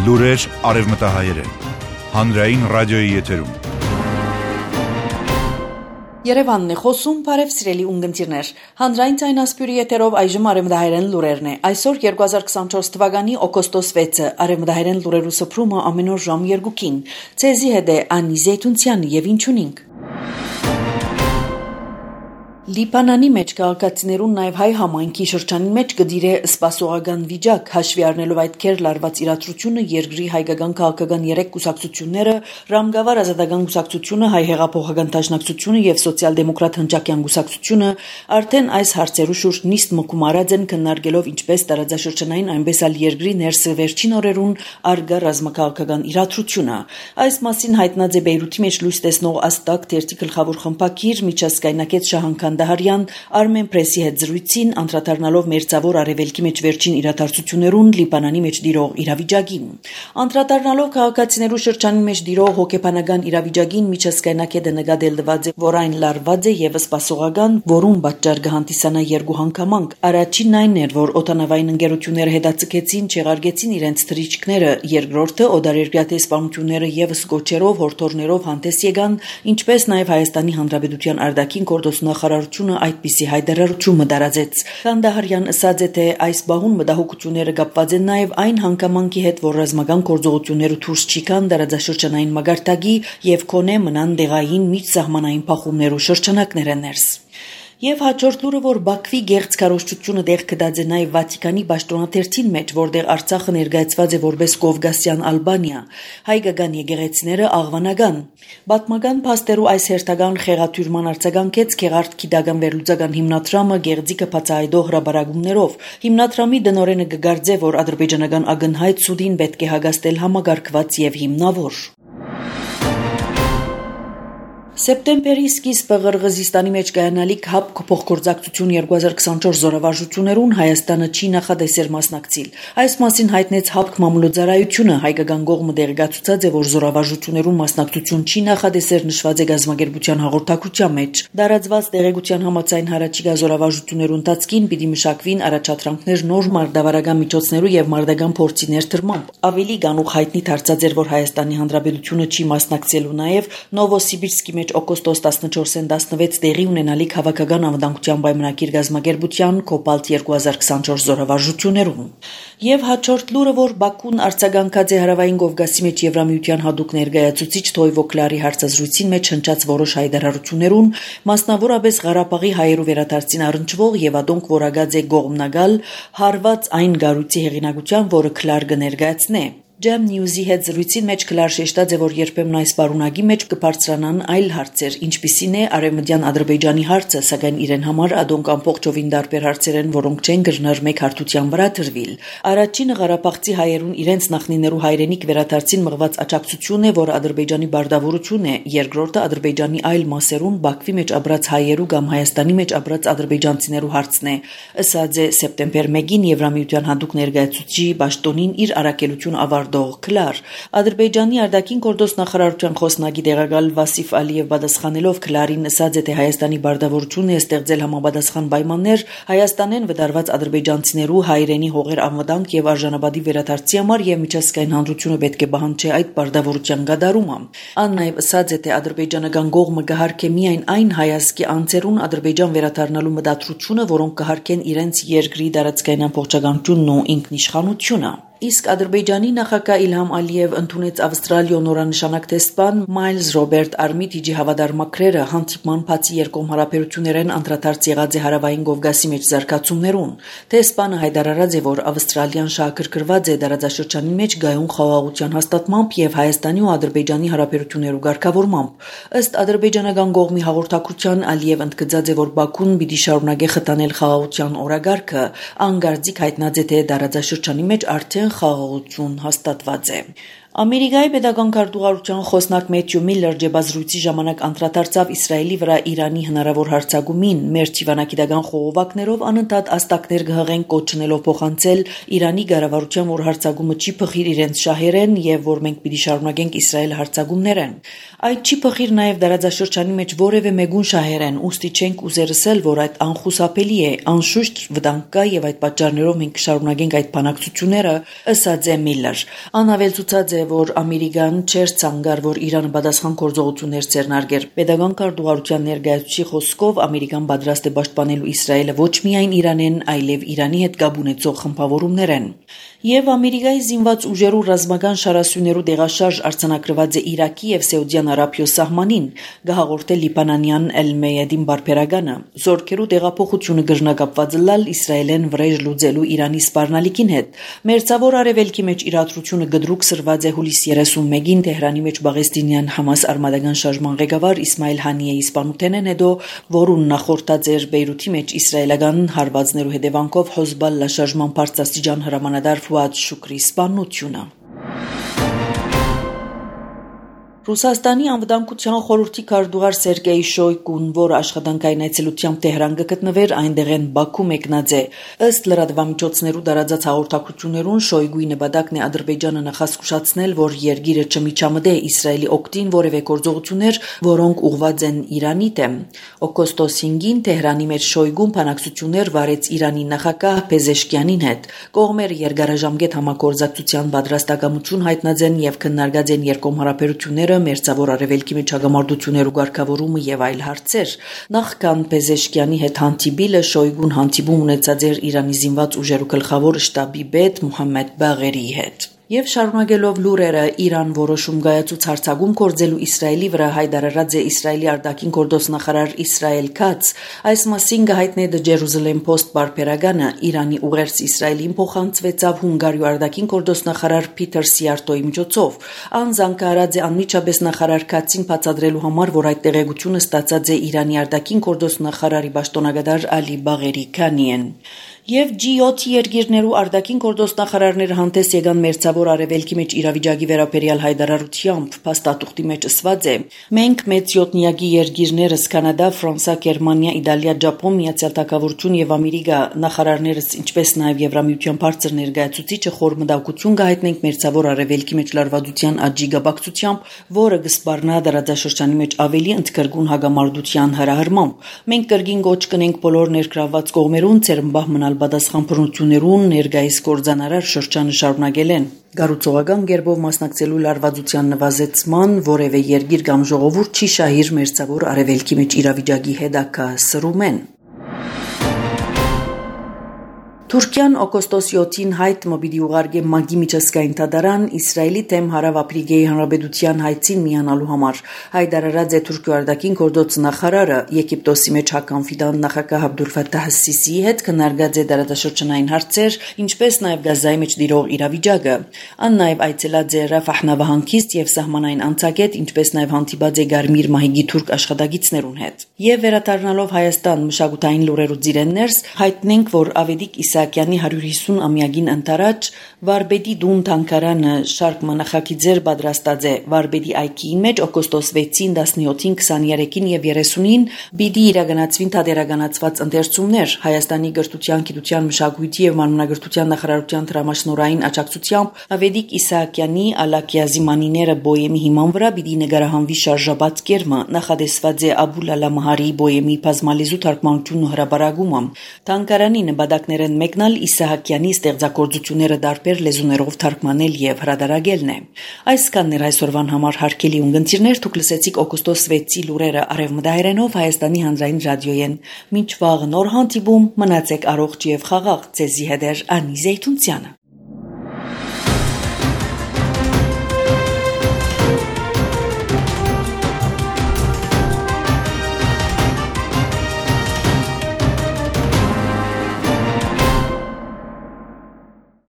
Լուրեր արևմտահայերեն, հանրային ռադիոյի եթերում։ Երևանն է խոսում, բարև սիրելի ունգընտիրներ։ Հանրային ցայնասպյուրի եթերով այժմ արևմտահայերեն լուրերն է։ Այսօր 2024 թվականի օգոստոս 6-ը արևմտահայերեն լուրերու սփռումը ամեն օր ժամ 2-ին։ Ցեզի հետ է Անի Զեյթունցյանը եւ ինչունինք։ Լիբանանի մեջ քաղաքացիներուն նաև հայ համայնքի շրջանի մեջ գդիրե սպասողական վիճակ, հաշվի առնելով այդ քեր լարված իրադրությունը երկրի հայկական քաղաքական 3 կուսակցությունները, Ռամգավար ազատական կուսակցությունը, հայ հեղափոխական դաշնակցությունը եւ սոցիալ-դեմոկրատ հնչակյան կուսակցությունը արդեն այս հարցերու շուրջ նիստ մկում արած են քննարկելով ինչպես տարածաշրջանային, այնպես էլ երկրի ներսը վերջին օրերուն արգա ռազմաքաղաքական իրադրությունը։ Այս մասին հայտնած է Բեյրութի մեջ լույս տեսնող Աստակ թերթի գլխավոր խմբակիր միջազգայնակետ Շահան Դահարյան Armen Press-ի հետ զրույցին անդրադառնալով մերձավոր արևելքի մեջ վերջին իրադարձություններուն Լիբանանի մեջ դիրող իրավիճակին։ Անդրադառնալով քաղաքացիներու շրջանի մեջ դիրող հոգեբանական իրավիճակին միջազգայնակետը նկատելված է, որ այն լարված է եւ սպասողական, որուն պատճառ կհանդիսանա երկու հանգամանք։ Առաջինն այն էր, որ օտանավային ընկերությունները հետաձգեցին, չեղարկեցին իրենց թռիչքները, երկրորդը օդարերկրյա սպանությունները եւս գոչերով, հորդորներով հանդես եկան, ինչպես նաեւ Հայաստանի Հանրապետության արտաքին գործ նախարարությունը այդպիսի հայտարարություն մտարածեց։ Քանդահարյան ասաց է, թե այս բահուն մտահոգությունները կապված են նաև այն հանգամանքի հետ, որ ռազմական գործողությունները դուրս չիկան տարածաշրջանային մագարտակի եւ կոնե մնան դեղային միջսահմանային փախումներու շրջանակները ներս։ Եվ հաջորդ լուրը, որ Բաքվի գեղձ քարոզչությունը դեղ կդած է նաև Վատիկանի պաշտոնաթերթին մեջ, որտեղ Արցախը ներկայացված է որպես Կովկասյան Ալբանիա, հայկական եկեղեցիները աղվանական։ Պատմական փաստերու այս հերթական խեղաթյուրման արձագանքեց Գեղարդ գիտական վերլուծական հիմնադրամը գեղձիկը բացահայտող հրաբարակումներով։ Հիմնադրամի դնորենը կգարձե, որ ադրբեջանական ագնհայտ սուդին պետք է հագաստել համագարկված եւ հիմնավոր։ Սեպտեմբերի սկիզբը Ղրղզստանի մեջ կայանալիք ՀԱՊԿ փոխգործակցություն 2024 զորավարժություններուն Հայաստանը չի նախադեսեր մասնակցիլ։ Այս մասին հայտնեց ՀԱՊԿ մամուլոձարայությունը, հայկական կողմը դեղեկացուցած է, որ զորավարժություններուն մասնակցություն չի նախադեսեր նշված է գազམ་ագերբության հաղորդակցության մեջ։ Դարածված տեղեկության համաձայն հարաճիգա զորավարժություններուն ընթացքին պիտի մշակվին առաջադրանքներ նոր մարդավարական միջոցներու եւ մարդական փորձի ներդրմամբ։ Ավելի գանուղ հայտնի դարձած էր, որ Հայաստանի Հանրապետությունը չի մասնակցելու նաեւ Նովոսիբիրսկի մեջ օգոստոս 14-ին 16 տեղի ունենալիք հավաքական անվտանգության պայմանագիր գազམ་ագերբության Կոբալտ 2024 զորավարժություններում։ Եվ հաջորդ լուրը, որ Բաքուն արձագանքած է Հարավային Կովկասի մեջ Եվրամիության հատուկ ներկայացուցիչ Թոյվո Կլարի հարցազրույցին մեջ հնչած որոշ հայտարարություններուն, մասնավորապես Ղարաբաղի հայերու վերադարձին առնչվող եւ ադոնք որագած է գողմնագալ հարված այն գարույցի հեղինակության, որը Կլար կներկայացնե։ Jam News-ի հետ զրույցին մեջ Կլար շեշտած է, որ երբեմն այս պարունակի մեջ կբարձրանան այլ հարցեր, ինչպիսին է արևմտյան Ադրբեջանի հարցը, սակայն իրեն համար ադոնք ամբողջովին տարբեր հարցեր են, որոնք չեն գրնար մեկ հարթության վրա դրվիլ։ Առաջինը Ղարաբաղցի հայերուն իրենց նախնիներու հայրենիք վերադարձին մղված աջակցություն է, որ Ադրբեջանի բարդավորություն է, երկրորդը Ադրբեջանի այլ մասերուն Բաքվի մեջ ապրած հայերու կամ Հայաստանի մեջ ապրած ադրբեջանցիներու հարցն է։ Ըսած է սեպտեմբեր 1-ին Եվրամիության հատուկ ներկայացուցիչի պաշտոնին իր առաքելություն Կլար։ Ադրբեջանի արտաքին գործ նախարարության խոսնակի տեղակալ Վասիֆ Ալիև պատասխանելով Կլարին ասաց է, թե Հայաստանի բարդավորությունը ստեղծել համապատասխան պայմաններ Հայաստանեն վտարված ադրբեջանցիներու հայրենի հողեր անվտանգ եւ արժանապատիվ վերադարձի համար եւ միջազգային հանրությունը պետք է պահանջի այդ բարդավորության գադարումը։ Ան նաեւ ասաց է, թե ադրբեջանական կողմը կհարկե միայն այն հայազգի անձերուն Ադրբեջան վերադառնալու մտադրությունը, որոնք կհարկեն իրենց երկրի տարածքային ամբողջականությունն ու ինքնիշխանությունը։ Իսկ Ադրբեջանի նախագահ Իլհամ Ալիև ընդունեց Ավստրալիո նորանշանակ տեսփան Մայլզ Ռոբերտ Արմիտիջի հավատարմակրերը հանդիպման բացի երկկողմ հարաբերություններեն անդրադարձ եղած է Հարավային Կովկասի մեջ զարգացումներուն։ Տեսփանը հայտարարած է, որ Ավստրալիան շահագրգռված է տարածաշրջանի մեջ գայուն խաղաղության հաստատմամբ եւ Հայաստանի ու Ադրբեջանի հարաբերություններու ղեկավարմամբ։ Ըստ ադրբեջանական կողմի հաղորդակցության Ալիև ընդգծած է, որ Բաքուն պիտի շարունակի խթանել խաղաղության օրագարկը, անգարձիկ հայտնած է, թե տարածաշրջանի մեջ արդեն խաղաղություն հաստատված է։ Ամերիկայի պետական քարտուղարության խոսնակ Մեթյու Միլլեր ջեբազրույցի ժամանակ անդրադարձավ Իսրայելի վրա Իրանի հնարավոր հարձակումին, մեր թիվանակիդական խողովակներով անընդհատ աստակներ կհղեն կոչնելով փոխանցել Իրանի կառավարության, որ հարձակումը չի փխիր իրենց շահերեն եւ որ մենք պիտի շարունակենք Իսրայել հարձակումներն։ Այդ չի փխիր նաեւ դարաձաշրջանի մեջ որևէ մեկուն շահերեն, ուստի չենք ուզերսել, որ այդ անխուսափելի է, անշուշտ վտանգ կա եւ այդ պատճառներով մենք կշարունակենք այդ բանակցությունները, ըսած է Միլլեր։ Անավելցուցած է, որ Ամերիկան չէր ցանկար, որ Իրանը պատասխան գործողություններ ձեռնարկեր։ Պետական քարտուղարության ներկայացուցիչի խոսքով Ամերիկան պատրաստ է պաշտպանելու Իսրայելը ոչ միայն Իրանեն, այլև Իրանի հետ կապ ունեցող խմբավորումներն։ Եվ Ամերիկայի զինված ուժերու ռազմական շարասյուներու դեղաշարժ արձանագրված է Իրաքի եւ Սաուդյան Արաբիո սահմանին, գահաղորդել լիբանանյան Էլ-Մեյադին բարբերականը։ Զորքերու տեղափոխությունը գժնակապված լալ Իսրայելեն վրեժ լուծելու Իրանի սպառնալիքին հետ։ Մերձավոր արևելքի մեջ իրադրությունը գդրուկ սրված է հուլիս 31-ին Թեհրանի մեջ Պաղեստինյան Համաս արմատական շարժման ղեկավար Իսմայիլ Հանիեի սպանութենեն հետո, որուն նախորդած էր Բեյրութի մեջ իսրայելական հարվածներու հետևանքով Հոզբալլա շարժման բարձրաստիճան հրամանատար Ֆուադ Շուկրի սպանությունը։ Ռուսաստանի անվտանգության խորհրդի քարտուղար Սերգեյ Շոյգուն, որը աշխատանքային այցելությամբ Թեհրան կգտնվեր, այնտեղեն Բաքու մեկնած է։ Ըստ լրատվամիջոցներու տարածած հաղորդակցություններուն Շոյգուի նպատակն է Ադրբեջանը նախազգուշացնել, որ երկիրը չմիջամտե Իսրայելի օգտին որևէ գործողություններ, որոնք ուղղված են Իրանի դեմ։ Օգոստոս 5-ին Թեհրանի մեջ Շոյգուն բանակցություններ վարեց Իրանի նախագահ Փեզեշքյանին հետ։ Կողմերը երկարաժամկետ համագործակցության պատրաստակամություն հայտնած են եւ քննարկած են երկկողմ հարաբերությունները, մերձավոր արևելքի մեջ հագամարտություններու ղեկավարումը եւ այլ հարցեր։ Նախքան Փեզեշքյանի հետ հանդիպիլը Շոյգուն հանդիպում ունեցած էր Իրանի զինված ուժերու գլխավոր շտաբի պետ Մոհամմեդ Բաղերիի հետ։ Եվ շարունակելով լուրերը, Իրան որոշում կայացուց հարձակում կործելու Իսրայելի վրա հայտարարած է Իսրայելի արտաքին գործ նախարար Իսրայել Քաց։ Այս մասին կհայտնի The Jerusalem Post բարբերականը Իրանի ուղերձ Իսրայելին փոխանցվեցավ Հունգարիու արտաքին գործ նախարար Փիթեր Սիարտոյի միջոցով։ Անձանք արած է անմիջապես նախարար Քացին բացատրելու համար, որ այդ տեղեկությունը ստացած է Իրանի արտաքին գործ նախարարի պաշտոնակատար Ալի Բաղերի Քանիեն։ Եվ G7 երկիրներու արտաքին գործ նախարարները հանդես եկան մերձավոր արևելքի մեջ իրավիճակի վերաբերյալ հայտարարությամբ, փաստաթուղթի մեջ ասված է. մենք մեծ յոթնիակի երկիրներս Կանադա, Ֆրանսա, Գերմանիա, Իտալիա, Ճապոն, Միացյալ Թագավորություն եւ Ամերիկա նախարարներս, ինչպես նաեւ Եվրամիության բարձր ներկայացուցիչը խոր մտահոգություն կհայտնենք մերձավոր արևելքի մեջ լարվածության աճի գաբակցությամբ, որը կսպառնա դարաձաշրջանի մեջ ավելի ընդգրկուն հագամարտության հրահրմամբ։ Մենք կրկին կոչ կնենք բոլոր ներգրավված կողմերուն ցերմբահ մնալ պատասխան բռնություններուն ներկայիս կորձանարար շրջանը շարունակել են։ Գառուցողական կերպով մասնակցելու լարվածության նվազեցման որևէ երկիր կամ ժողովուրդ չի շահիր մերձավոր արևելքի մեջ իրավիճակի հետագա սրում են։ Թուրքիան օգոստոս 7-ին հայտ մոբիլի ուղարկե մագի միջազգային դատարան Իսրայելի դեմ Հարավ-Աֆրիկայի Հանրապետության հայցին միանալու համար։ Հայտարարած է Թուրքիա արտաքին գործ նախարարը Եգիպտոսի մեջ հականֆիդան նախագահ Աբդուլ Ֆաթահ Սիսիի հետ քննարկած է դարաշրջանային հարցեր, ինչպես նաև Գազայի մեջ տիրող իրավիճակը։ Ան նաև այցելած է Ռաֆահ նավահանգիստ եւ սահմանային անցակետ, ինչպես նաև հանդիպած է Գարմիր մահիգի թուրք աշխատակիցներուն հետ։ Եվ վերադառնալով Հայաստան մշակութային լուրերու ծիրեններս, հայտնենք, որ Ավետիք Իսահակյանի 150-ամյակին ընթരാճ Վարպետի դուն թանգարանը շարք մնախագիծեր պատրաստած է Վարպետի այգիի մեջ օգոստոս 6-ին, 17-ին, 23-ին եւ 30-ին պիտի իրականացվին թատերականացված ընթերցումներ Հայաստանի կրթության, գիտության, մշակույթի եւ մանրանկրթության նախարարության դրամաշնորհային աջակցությամբ Ավետիք Իսահակյանի Ալակյազի մանիները բոյեմի հիման վրա պիտի նկարահանվի շարժաբաց կերմը նախադեсված է Աբուլ Ալամահարի բոյեմի բազմալիզու թարգմանությունն ու հրապարակումը թանգարանի նպատակներն մեկնալ Իսահակյանի ստեղծագործությունները դարբեր լեզուներով թարգմանել եւ հրատարակելն է։ Այսքանն էր այսօրվան համար հարգելի ունգընտիրներ, դուք լսեցիք օգոստոս 6-ի լուրերը արևմտահայերենով Հայաստանի հանրային ռադիոյեն։ Մինչ վաղ նոր հանդիպում մնացեք առողջ եւ խաղաղ, ձեզի հետ Անի Զեյթունցյանը։